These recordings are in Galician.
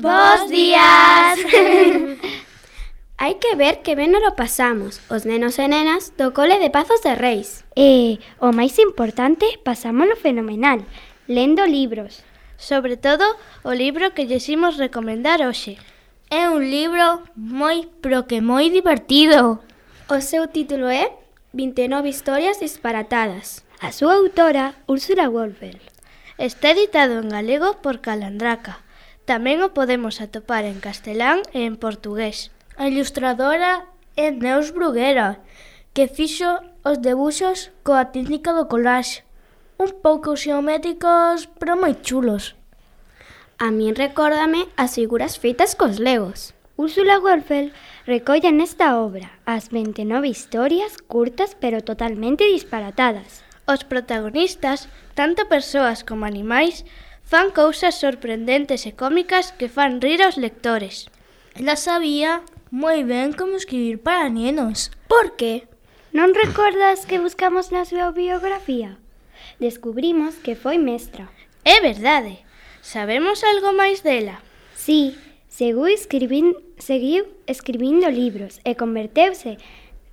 Bos días! Hai que ver que ben nos lo pasamos, os nenos e nenas do cole de Pazos de Reis. E, o máis importante, pasámolo fenomenal, lendo libros. Sobre todo, o libro que lles imos recomendar hoxe. É un libro moi divertido. O seu título é 29 historias disparatadas. A súa autora, Úrsula Wolfel. Está editado en galego por Calandraca. Tamén o podemos atopar en castelán e en portugués. A ilustradora é Neus Bruguera, que fixo os debuxos coa técnica do collage. Un pouco xeométricos, pero moi chulos. A min recórdame as figuras feitas cos legos. Úrsula Wolfel recolle nesta obra as 29 historias curtas pero totalmente disparatadas. Os protagonistas, tanto persoas como animais, fan cousas sorprendentes e cómicas que fan rir aos lectores. Ela sabía moi ben como escribir para nenos. Por que? Non recordas que buscamos na súa biografía? Descubrimos que foi mestra. É verdade. Sabemos algo máis dela? Sí, seguiu escribindo libros e converteuse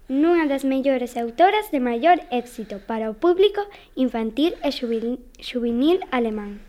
nunha das mellores autoras de maior éxito para o público infantil e xuvenil alemán.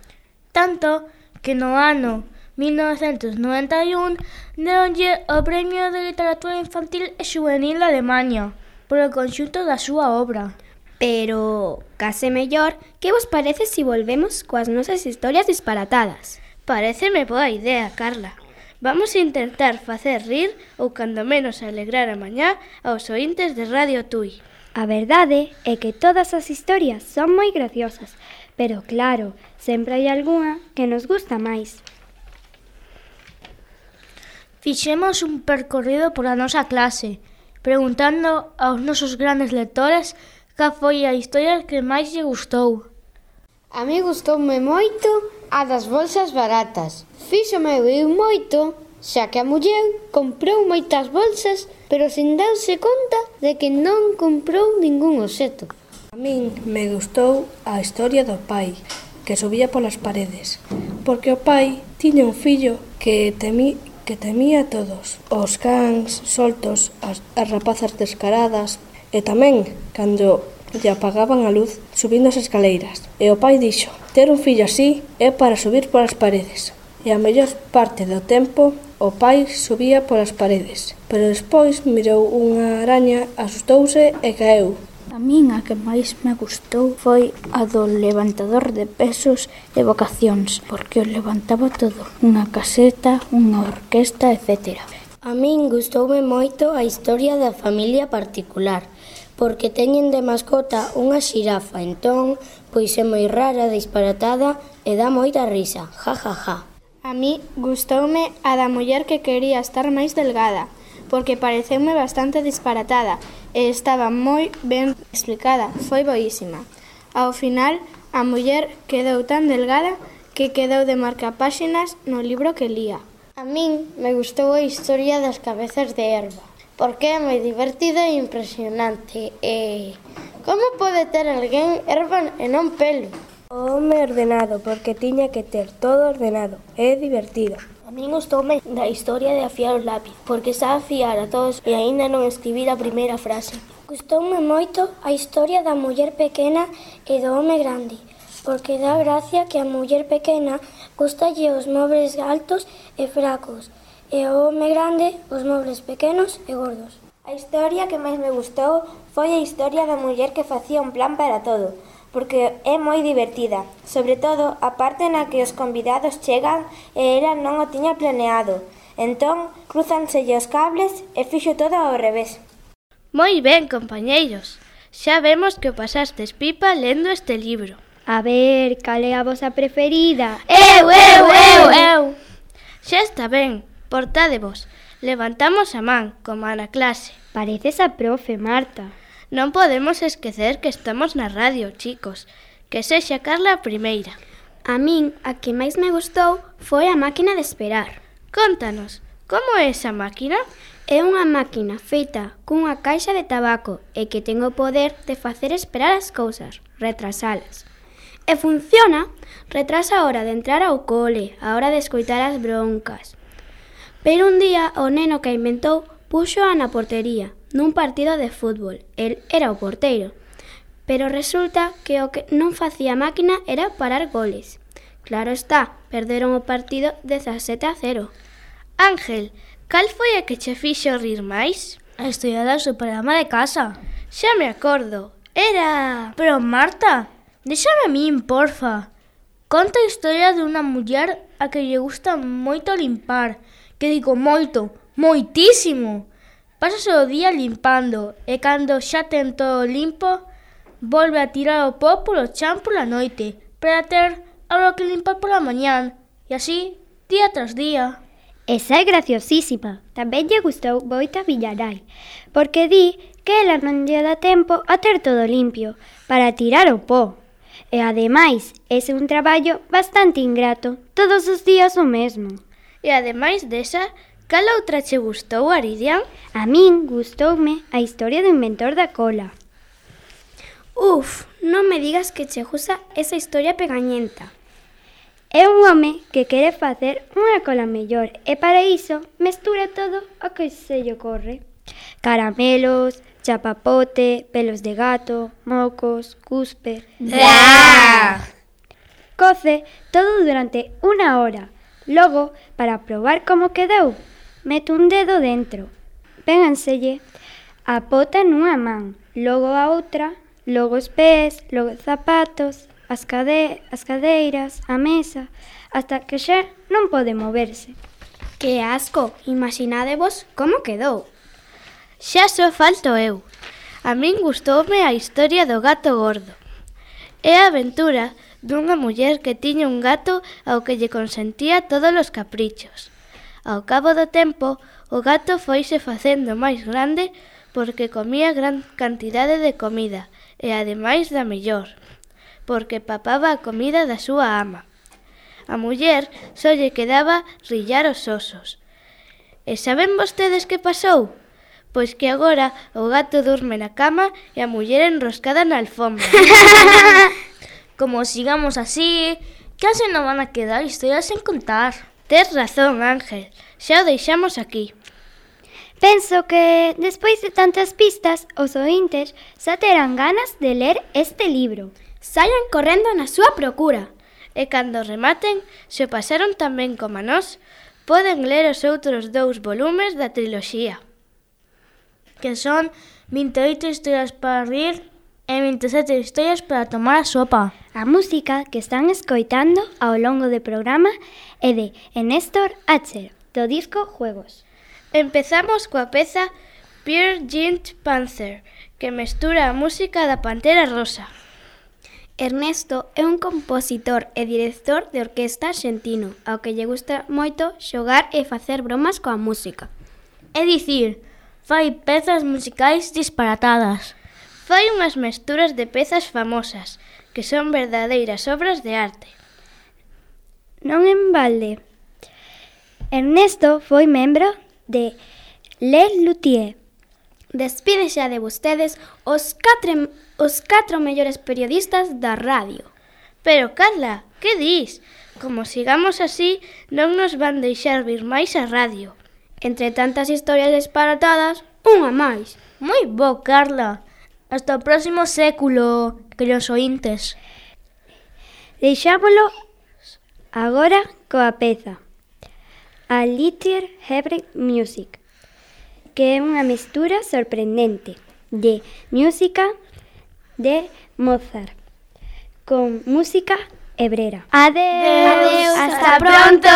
Tanto que no ano 1991 deronlle o Premio de Literatura Infantil e Xuvenil de Alemania polo conxunto da súa obra. Pero, case mellor, que vos parece se volvemos coas nosas historias disparatadas? Paréceme boa idea, Carla. Vamos a intentar facer rir ou cando menos alegrar a mañá aos oíntes de Radio Tui. A verdade é que todas as historias son moi graciosas, pero claro, sempre hai algunha que nos gusta máis. Fixemos un percorrido pola nosa clase, preguntando aos nosos grandes lectores cal foi a historia que máis lle gustou. A mí gustoume moito a das bolsas baratas. Fíxome rir moito, xa que a muller comprou moitas bolsas, pero sin darse conta de que non comprou ningún obxeto. A min me gustou a historia do pai, que subía polas paredes, porque o pai tiña un fillo que temía a todos, os cans soltos, as rapazas descaradas, e tamén, cando lle apagaban a luz, subindo as escaleiras. E o pai dixo, ter un fillo así é para subir polas paredes. E a mellor parte do tempo, o pai subía polas paredes, pero despois mirou unha araña, asustouse e caeu. A min a que máis me gustou foi a do levantador de pesos e vocacións, porque o levantaba todo, unha caseta, unha orquesta, etc. A min gustoume moito a historia da familia particular, porque teñen de mascota unha xirafa, entón, pois é moi rara, disparatada e dá moita risa, ja, ja, ja. A mí gustoume a da muller que quería estar máis delgada, porque pareceume bastante disparatada e estaba moi ben explicada, foi boísima. Ao final, a muller quedou tan delgada que quedou de marcapáxinas no libro que lía. A min me gustou a historia das cabezas de erva, porque é moi divertida e impresionante. E como pode ter alguén erva e non pelo? O home ordenado, porque tiña que ter todo ordenado. É divertido. A min gustoume da historia de afiar o lápiz, porque sabe afiar a todos e aínda non escribir a primeira frase. Gustoume moito a historia da muller pequena e do home grande, porque dá gracia que a muller pequena gustalle os mobles altos e fracos, e ao home grande os mobles pequenos e gordos. A historia que máis me gustou foi a historia da muller que facía un plan para todo, porque é moi divertida, sobre todo a parte na que os convidados chegan e ela non o tiña planeado. Entón, crúzanselle os cables e fixo todo ao revés. Moi ben, compañeiros. Xa vemos que o pasastes pipa lendo este libro. A ver, cal é a vosa preferida? Eu! Xa está ben, portádevos. Levantamos a man, como na clase. Pareces a profe, Marta. Non podemos esquecer que estamos na radio, chicos. Que sexa Carla a primeira. A min, a que máis me gustou foi a máquina de esperar. Contanos, como é esa máquina? É unha máquina feita cunha caixa de tabaco e que ten o poder de facer esperar as cousas, retrasalas. E funciona, retrasa a hora de entrar ao cole, a hora de escoitar as broncas. Pero un día o neno que a inventou púxoa na portería, nun partido de fútbol. El era o porteiro. Pero resulta que o que non facía a máquina era parar goles. Claro está, perderon o partido 17-0. Ángel, cal foi a que che fixo rir máis? A historia do seu programa de casa. Xa me acordo. Era... Pero Marta, déxame a min, porfa. Conta a historia dunha muller a que lle gusta moito limpar. Que digo moito, moitísimo. Pásase o día limpando e cando xa ten todo limpo, volve a tirar o pó polo chan pola noite para ter algo que limpar pola mañán. E así, día tras día. Esa é graciosísima. Tamén lle gustou moito a Villarai, porque di que ela non lle dá tempo a ter todo limpio para tirar o pó. E ademais, ese é un traballo bastante ingrato, todos os días o mesmo. E ademais desa, cal outra che gustou, Aridian? A min gustoume a historia do inventor da cola. Uf, non me digas que che gusta esa historia pegañenta. É un home que quere facer unha cola mellor e para iso mestura todo o que se lle ocorre. Caramelos, chapapote, pelos de gato, mocos, cuspe... Coce todo durante 1 hora. Logo, para probar como quedou, mete un dedo dentro. Péganselle a pota nunha man, logo a outra, logo os pés, logo os zapatos, as cadeiras, a mesa, hasta que xa non pode moverse. Que asco! Imaginadevos como quedou. Xa só falto eu. A min gustoume a historia do gato gordo. É a aventura dunha muller que tiña un gato ao que lle consentía todos os caprichos. Ao cabo do tempo, o gato foise facendo máis grande porque comía gran cantidade de comida e ademais da mellor, porque papaba a comida da súa ama. A muller só lle quedaba rillar os osos. E saben vostedes que pasou? Pois que agora o gato durme na cama e a muller enroscada na alfombra. Como sigamos así, case non van a quedar historias sen contar. Tes razón, Ángel. Xa o deixamos aquí. Penso que, despois de tantas pistas, os ointes xa terán ganas de ler este libro. Saian correndo na súa procura. E cando rematen, se o pasaron tan ben como nós, poden ler os outros 2 volumes da triloxía. Que son 28 historias para rir e 27 historias para tomar a sopa. A música que están escoitando ao longo do programa é de Néstor Acher, do disco Juegos. Empezamos coa peza Pearl Jint Panzer, que mestura a música da Pantera Rosa. Ernesto é un compositor e director de orquesta argentino, ao que lle gusta moito xogar e facer bromas coa música. É dicir, fai pezas musicais disparatadas. Fai unhas mesturas de pezas famosas, que son verdadeiras obras de arte. Non en balde. Ernesto foi membro de Les Luthiers. Despide xa de vostedes os 4 mellores periodistas da radio. Pero, Carla, que dis? Como sigamos así, non nos van deixar vir máis a radio. Entre tantas historias disparatadas, unha máis. Moi bo, Carla. Hasta o próximo século, queridos ointes. Deixámolo agora coa peza A Little Hebrew Music, que é unha mestura sorprendente de música de Mozart con música hebrera. Adeus. Hasta pronto.